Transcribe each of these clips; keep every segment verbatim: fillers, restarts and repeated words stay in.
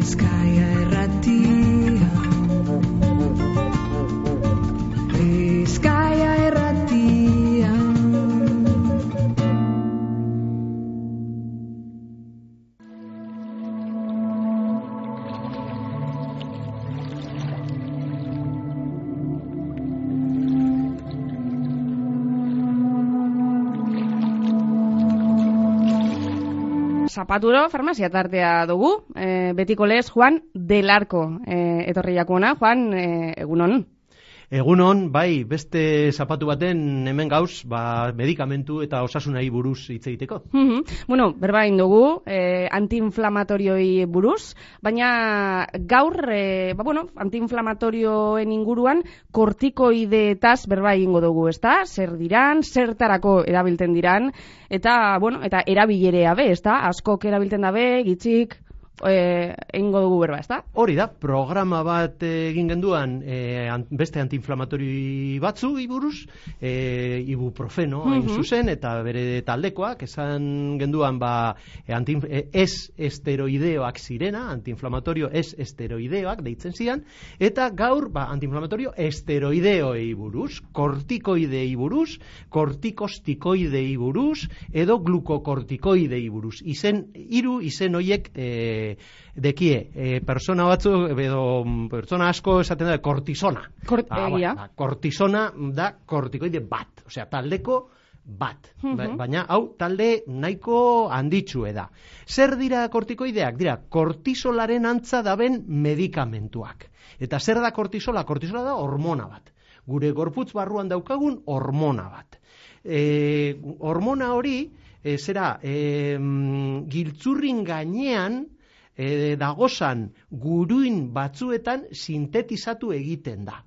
Bizkaia Irratia, Bizkaia Irratia. Zapaturo farmazia tartea dugu, e, betiko lez Juan del Arco e, etorri jakuna. Juan, e, egunon? Egunon, bai, beste zapatu baten hemen gauz, ba, medikamentu eta osasunai buruz hitz egiteko. Mm-hmm. Bueno, berba egin dugu, eh, antiinflamatorioi buruz, baina gaur, eh, ba, bueno, antiinflamatorioen inguruan kortikoideetaz berba egingo dugu, ezta? Zer diran, zertarako erabilten diran, eta, bueno, eta erabilerea be, ezta? Askok erabilten dabe, gitzik, Eh, egingo dugu berba, ezta? Hori da, programa bat egin genduan eh, an, beste antiinflamatori batzu iburuz, eh, ibuprofeno hain Mm-hmm. zuzen, eta bere taldekoak, esan genduan ba, eh, anti, eh, ez esteroideoak zirena, antiinflamatorio ez esteroideoak deitzen zian, eta gaur ba, antiinflamatorio esteroideoei buruz, kortikoidei buruz, kortikostikoidei buruz, edo glukokortikoidei buruz. Izen, hiru izen hoiek eh, dekie, e, persona batzu edo persona asko esaten da kortisona. Kort, ah, egia. ba, kortisona da kortikoide bat, osea, taldeko bat. Mm-hmm. Baina hau talde nahiko handitsue da. Zer dira kortikoideak? Dira kortisolaren antza daben medikamentuak. Eta zer da kortisola? Kortisola da hormona bat. Gure gorputz barruan daukagun hormona bat. E, hormona hori e, zera e, giltzurrin gainean E, dagozan guruin batzuetan sintetizatu egiten da.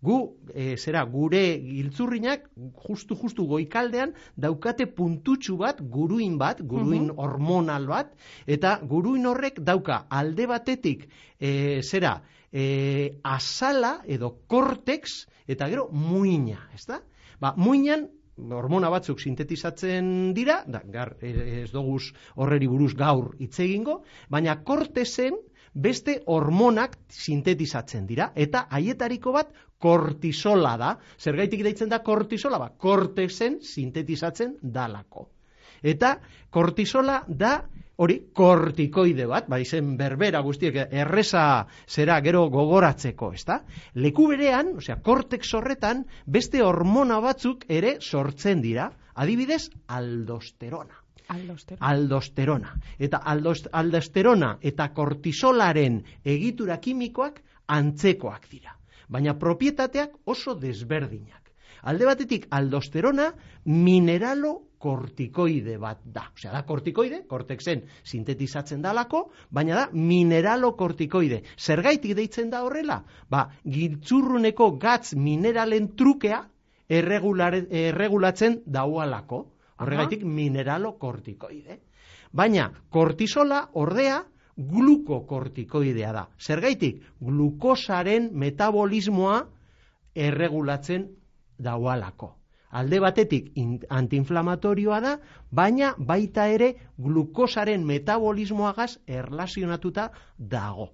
Gu, e, zera, gure giltzurrinak justu-justu goikaldean daukate puntutxu bat, guruin bat, guruin mm-hmm. hormonal bat, eta guruin horrek dauka alde batetik, e, zera, e, azala edo kortex, eta gero muina, ezta? Ba, muinan hormona batzuk sintetizatzen dira, da, gar, ez doguz horreri buruz gaur hitz egingo, baina kortezen beste hormonak sintetizatzen dira, eta haietariko bat kortisola da. Zergaitik deitzen da kortisola? Ba, kortezen sintetizatzen dalako. Eta kortisola da hori kortikoide bat, ba izen berbera guztiek erreza zera gero gogoratzeko, ezta? Leku berean, osea, kortex horretan beste hormona batzuk ere sortzen dira, adibidez aldosterona. Aldosterona. Aldosterona. Eta aldost, aldosterona eta kortisolaren egitura kimikoak antzekoak dira, baina propietateak oso desberdinak. Alde batetik aldosterona mineralo kortikoide bat da. Osea, da kortikoide, kortexen sintetizatzen dalako, baina da mineralo kortikoide. Zergaitik deitzen da horrela? Ba, giltzurruneko gatz mineralen trukea erregulatzen daualako. Horregaitik mineralo kortikoide. Baina kortisola ordea glukokortikoidea da. Zergaitik glukosaren metabolismoa erregulatzen daualako. Alde batetik antiinflamatorioa da, baina baita ere glukosaren metabolismoagaz erlazionatuta dago.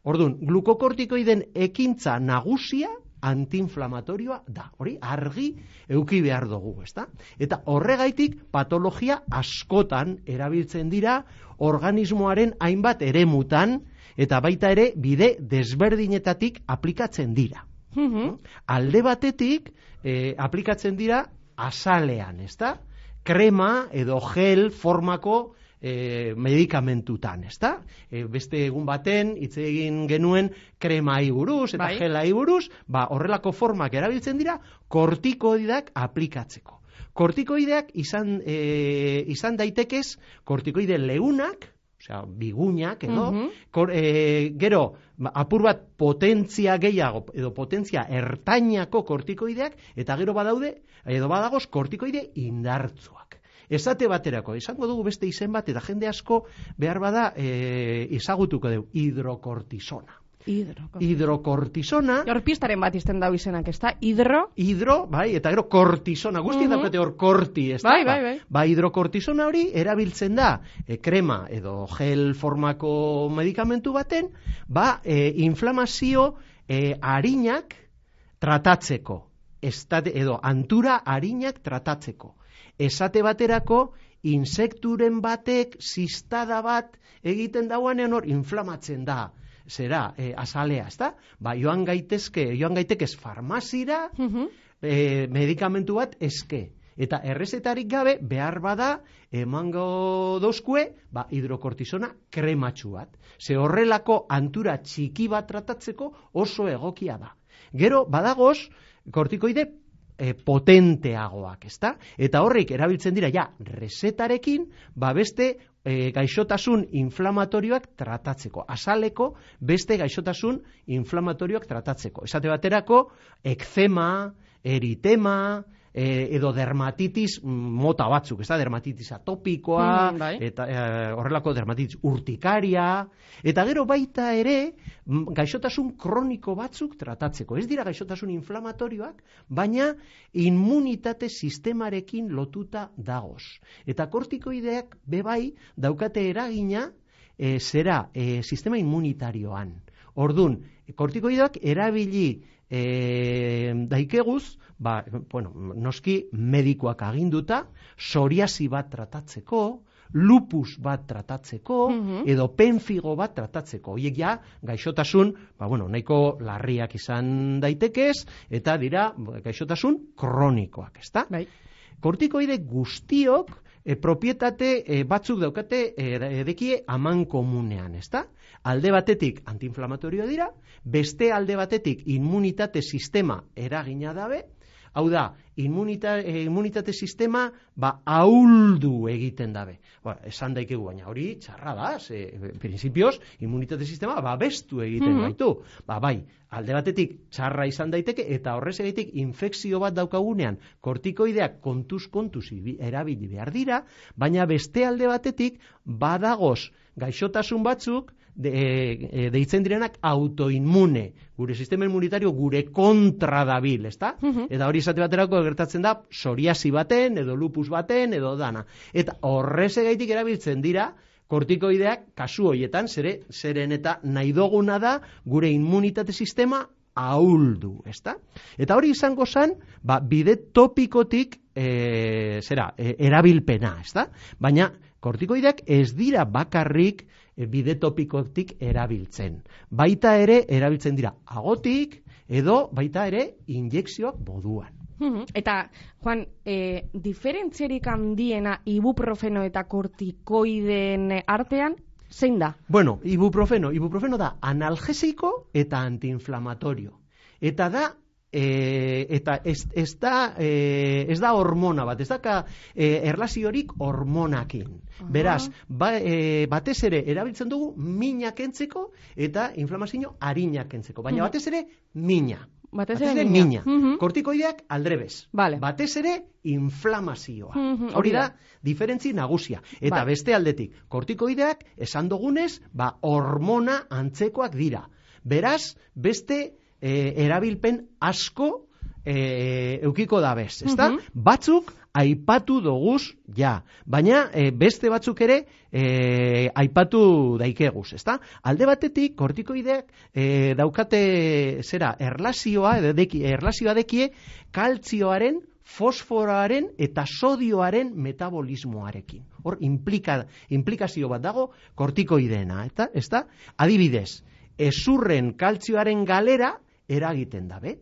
Orduan, glukokortikoiden ekintza nagusia antiinflamatorioa da. Hori argi euki behar dugu, ezta? Eta horregaitik patologia askotan erabiltzen dira organismoaren hainbat eremutan, eta baita ere bide desberdinetatik aplikatzen dira. Mm-hmm. Alde batetik eh, aplikatzen dira azalean, ezta? Krema edo gel formako eh, medikamentutan, ezta? E, beste egun baten hitz egin genuen kremai buruz eta bai. gelai buruz, ba horrelako formak erabiltzen dira kortikoideak aplikatzeko. Kortikoideak izan e, izan daitekez kortikoide leunak, osea, bigunak edo, mm-hmm. kor, e, gero, apur bat potentzia gehiago, edo potentzia ertainako kortikoideak, eta gero badaude, edo badagoz kortikoide indartzuak. Esate baterako, esango dugu beste izen bat, eta jende asko behar bada e, ezagutuko dugu, hidrokortisona. Hidro. Hidrokortisona. Hor pistaren bat izten dau izenak, ez da? Hidro? Hidro, bai, eta gero kortisona, guzti Mhm. daukate hor korti, ez da? Bai, bai, bai. Ba, hidrokortisona hori erabiltzen da e, krema edo gel formako medikamentu baten, ba, e, inflamazio e, arinak tratatzeko, estate, edo antura arinak tratatzeko. Esate baterako, insekturen batek zistada bat egiten dauanean hor inflamatzen da. Zera, e, azalea, ezta? Ba, joan gaitezke, joan gaitekez farmazira, Mhm. e, medikamentu bat eske. Eta errezetarik gabe, behar bada, emango dozkue, ba, hidrokortisona krematxu bat. Ze horrelako antura txiki bat tratatzeko oso egokia da. Gero, badagoz, kortikoide e, potenteagoak, ezta? Eta horrek erabiltzen dira, ja, resetarekin, ba, beste e, gaixotasun inflamatorioak tratatzeko. Azaleko beste gaixotasun inflamatorioak tratatzeko. Esate baterako, ekzema, eritema, e, edo dermatitis mota batzuk, ez da, dermatitis atopikoa, Mm, bai. eta e, horrelako dermatitis urtikaria, eta gero baita ere m, gaixotasun kroniko batzuk tratatzeko. Ez dira gaixotasun inflamatorioak, baina immunitate sistemarekin lotuta dagoz. Eta kortikoideak bebai daukate eragina e, zera e, sistema immunitarioan. Ordun, kortikoideak erabili e, daikeguz, ba, bueno, noski medikoak aginduta, psoriasi bat tratatzeko, lupus bat tratatzeko, Mhm. edo penfigo bat tratatzeko. Hoiek ja, gaixotasun, ba, bueno, nahiko larriak izan daitekez, eta dira gaixotasun kronikoak, ezta? Bai. Kortikoide guztiok e, propietate e, batzuk daukate e, edekie aman komunean, ezta? Alde batetik antiinflamatorio dira, beste alde batetik immunitate sistema eragina dabe, hau da, immunita, e, immunitate sistema ba, ahuldu egiten dabe. Ba, esan daikegu, baina hori txarra da, ze, prinsipioz, immunitate sistema babestu egiten Mhm. gaitu. Ba, bai, alde batetik txarra izan daiteke, eta horrez egiteik infekzio bat daukagunean, kortikoideak kontuz kontuz ibi- erabili behar dira, baina beste alde batetik badagoz gaixotasun batzuk, de, e, deitzen direnak autoinmune, gure sistema immunitario gure kontra dabil, ezta? Mhm. Eta hori izate baterako gertatzen da psoriasi baten, edo lupus baten, edo dana. Eta horrez egaitik erabiltzen dira kortikoideak kasu hoietan, zere, zeren eta nahi duguna da gure immunitate sistema ahuldu, ezta? Eta hori izango zen, ba, bide topikotik e, zera, e, erabilpena, ezta? Baina kortikoideak ez dira bakarrik e, bide topikotik erabiltzen. Baita ere erabiltzen dira agotik edo baita ere injekzioak moduan. Mhm. Eta, Juan, e, diferentziarik handiena ibuprofeno eta kortikoideen artean, zein da? Bueno, ibuprofeno, ibuprofeno da analgesiko eta antiinflamatorio. Eta da E, eta ez, ez, da, e, ez da hormona bat, ez da e, erlaziorik hormonakin. Aha. Beraz, ba, e, batez ere erabiltzen dugu mina kentzeko eta inflamazio arina kentzeko. Baina Mhm. batez ere mina. Batez Batez ere ere mina. mina. Mhm. Kortikoideak aldrebez. Vale. Batez ere inflamazioa. Mhm, Hori hori da, da. diferentzi nagusia. Eta Bai. beste aldetik, kortikoideak esan dugunez, ba, hormona antzekoak dira. Beraz, beste e, erabilpen asko e, eukiko da bez, ezta? Mhm. Batzuk aipatu doguz, ja, baina e, beste batzuk ere e, aipatu daikeguz, ezta? Alde batetik, kortikoideak e, daukate, zera, erlazioa, edeki, erlazioa dekie, kaltzioaren, fosforoaren eta sodioaren metabolismoarekin. Hor, implika, implikazio bat dago kortikoideena, eta, ezta? Adibidez, ezurren kaltzioaren galera eragiten dabe.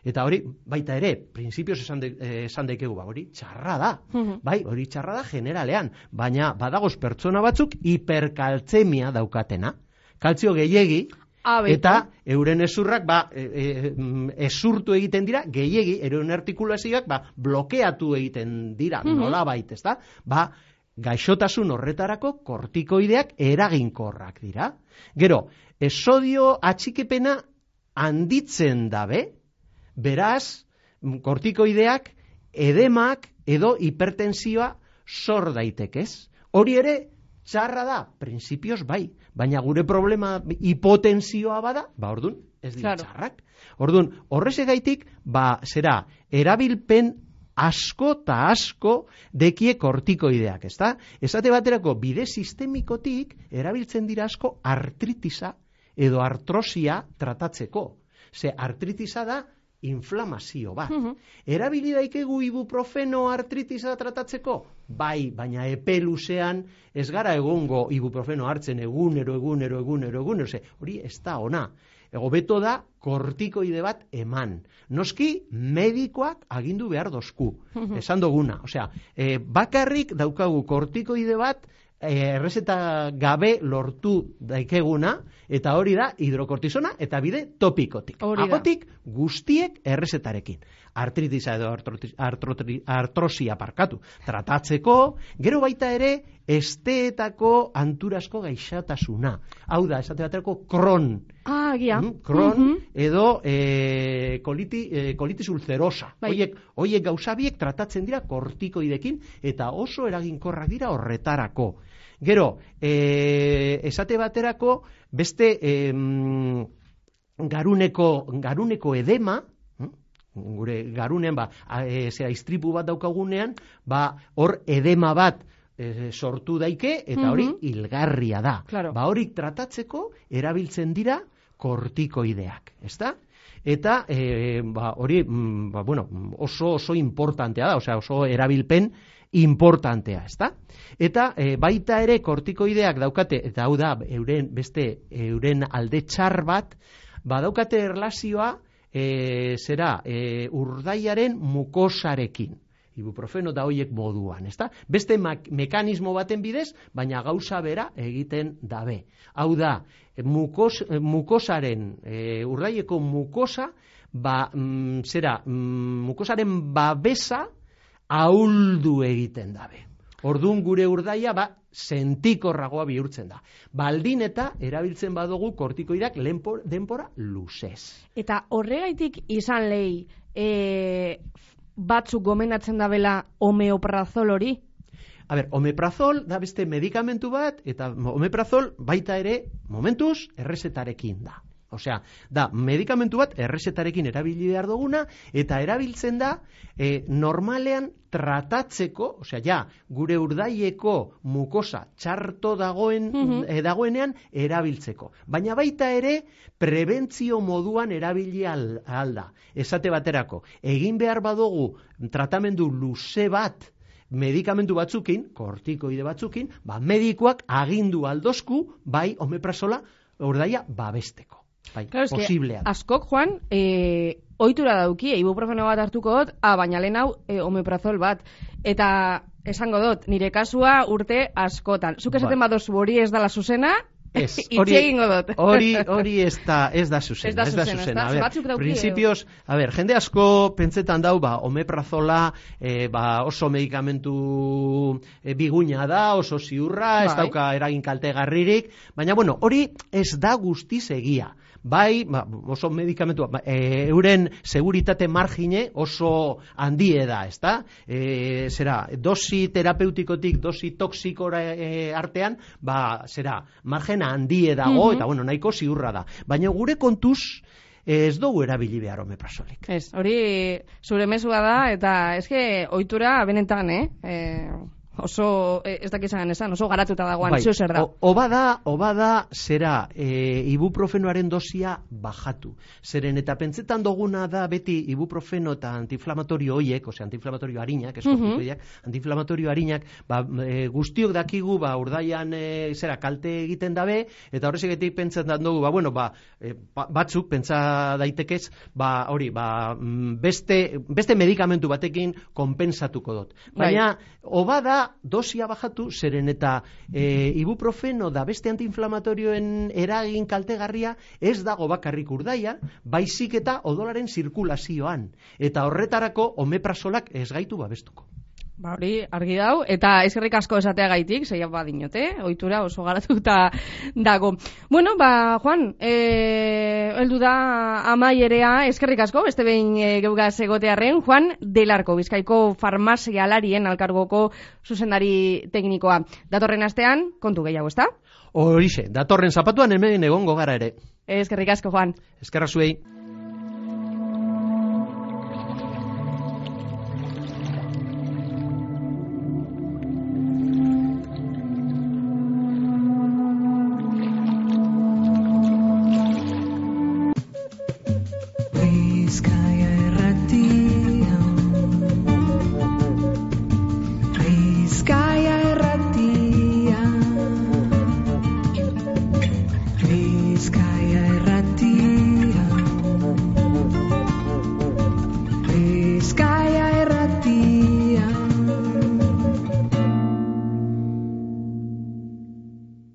Eta hori, baita ere, prinsipioz esan, de, eh, esan daikegu, ba, hori txarra da. Mhm. Bai, hori txarra da generalean, baina badagoz pertsona batzuk hiperkaltzemia daukatena. Kaltzio gehiegi, Ah, beitu. eta euren ezurrak ba, e, e, mm, ezurtu egiten dira, gehiegi, euren artikulazioak ba, blokeatu egiten dira, Mhm. nolabait, ezta? Ba, gaixotasun horretarako kortikoideak eraginkorrak dira. Gero, e, sodio atxikipena handitzen dabe, beraz, mm, kortikoideak edemak edo hipertensioa sor daitekez. Hori ere Txarra da, printzipioz bai, baina gure problema hipotensioa bada, ba ordun, ez dira Claro. txarrak. Ordun, horrezegaitik, ba, zera, erabilpen asko eta asko dekie kortikoideak, ezta? Esate baterako bide sistemikotik erabiltzen dira asko artritisa edo artrosia tratatzeko. Ze artritisa da inflamazio bat. Mhm. Erabili daikegu ibuprofeno artritisa tratatzeko? Bai, baina epe luzean ez gara egongo ibuprofeno hartzen egunero, egunero, egunero, egunero. Ze, hori ez da ona. Hobeto da kortikoide bat eman. Noski medikoak agindu behar dozku. Esan duguna. Osea, e, bakarrik daukagu kortikoide bat e, errezeta gabe lortu daikeguna, eta hori da hidrokortisona eta bide topikotik. Hori da. Agotik guztiek errezetarekin. Artritisa edo artroti- artrotri- artrosia parkatu. Tratatzeko, gero baita ere, esteetako anturasko gaixatasuna. Hau da, esate baterako Crohn. Ah, agia. Mm, Crohn Mhm. edo e, koliti, e, kolitis ulcerosa. Bai. Oiek, oiek gauzabiek tratatzen dira kortikoidekin eta oso eraginkorrak dira horretarako. Gero, e, esate baterako beste e, garuneko, garuneko edema, gure garunean, ba, e, zera, istripu bat daukagunean, ba, hor edema bat e, sortu daike, eta hori Mhm. hilgarria da. Claro. Ba, hori tratatzeko erabiltzen dira kortikoideak, ezta? Eta e, ba, hori mm, ba, bueno, oso oso importantea da, osea, oso erabilpen importantea, ezta? Eta e, baita ere kortikoideak daukate, eta hau da, euren beste euren alde txar bat, ba daukate erlazioa e, zera e, urdaiaren mukosarekin. Ibuprofeno da hoiek moduan, ezta? Beste mekanismo baten bidez, baina gauza bera egiten dabe. Hau da, mukos, mukosaren, e, urdaieko mukosa, ba, mm, zera, mm, mukosaren babesa ahuldu egiten dabe. Orduan gure urdaia, ba, sentikorragoa bihurtzen da. Baldin eta erabiltzen badugu kortikoidak lenpor, denpora luzez. Eta horregaitik izan lehi, e, batzuk gomendatzen dabela homeoprazol hori? A ber, omeprazol da beste medikamentu bat, eta omeprazol baita ere, momentuz, errezetarekin da. Osea, da, medikamentu bat errezetarekin erabili behar duguna, eta erabiltzen da, e, normalean tratatzeko, osea, ja, gure urdaieko mukosa txarto dagoen, Mhm. e, dagoenean erabiltzeko. Baina baita ere, prebentzio moduan erabili al, alda. Esate baterako, egin behar badugu tratamendu luze bat, medikamentu batzukin, kortikoide batzukin, ba, medikoak agindu aldozku, bai, omeprazola, urdaia babesteko. Bai, Claro, eske, posiblea da. askok, Juan, e, ohitura dauki, ibuprofeno bat hartuko dut, ah, baina lehen hau e, omeprazol bat. Eta esango dut, nire kasua urte askotan. Zuk esaten Bai. badozu hori ez dala zuzena, Ez, itxe hori, egingo dut. hori, hori ez da, ez da zuzena. Ez da zuzena, ez da? A ber, Batzuk dauki, printzipioz, a ber, jende asko pentsetan dau, ba, omeprazola, e, ba, oso medikamentu e, biguina da, oso ziurra, ez Bai. dauka eragin kaltegarririk, baina, bueno, hori ez da guztiz egia. Bai, ba, oso medikamentu, ba, e, euren seguritate margine oso handie da, ezta? E, zera, dosi terapeutikotik, dosi toksikora e, artean, ba, zera, margena handie dago, Mhm. eta bueno, nahiko ziurra da. Baina gure kontuz, ez dugu erabili behar omeprazolik. Ez, hori zure mesua da, eta eske ohitura benetan, eh? E, oso, e, ez dakizan esan, oso garatuta dagoan, Bai, zeu zer da. o- oba da, oba da, zera, e, ibuprofenoaren dosia bajatu. Zeren eta pentsetan duguna da beti ibuprofeno eta antiinflamatorio hoiek, osea, antiinflamatorio harinak, eskortikoideak, antiinflamatorio harinak, ba, e, guztiok dakigu, ba, urdaian, e, zera, kalte egiten dabe, eta horrezegetik pentsetan dugu, ba, bueno, ba, e, ba, batzuk pentsa daitekez, ba, hori, ba, mm, beste, beste medikamentu batekin konpensatuko dut. Baina, oba da, dosia bajatu, zeren eta e, ibuprofeno da beste antiinflamatorioen eragin kaltegarria ez dago bakarrik urdaia, baizik eta odolaren zirkulazioan. Eta horretarako omeprazolak ez gaitu babestuko. Ba hori, argi dau, eta eskerrik asko esateagaitik, zeia badinote, ohitura oso garatuta dago. Bueno, ba, Juan, eh, heldu da amaierea, eskerrik asko, beste behin e, geugaz egotearren, Juan Delarko, Bizkaiko farmazialarien alkargoko zuzendari teknikoa. Datorren astean, kontu gehiago, ezta? Horixe, datorren zapatuan hemen egongo gara ere. Eskerrik asko, Juan. Eskerra zuei. Bizkaia irratia, Bizkaia irratia, Bizkaia irratia, Bizkaia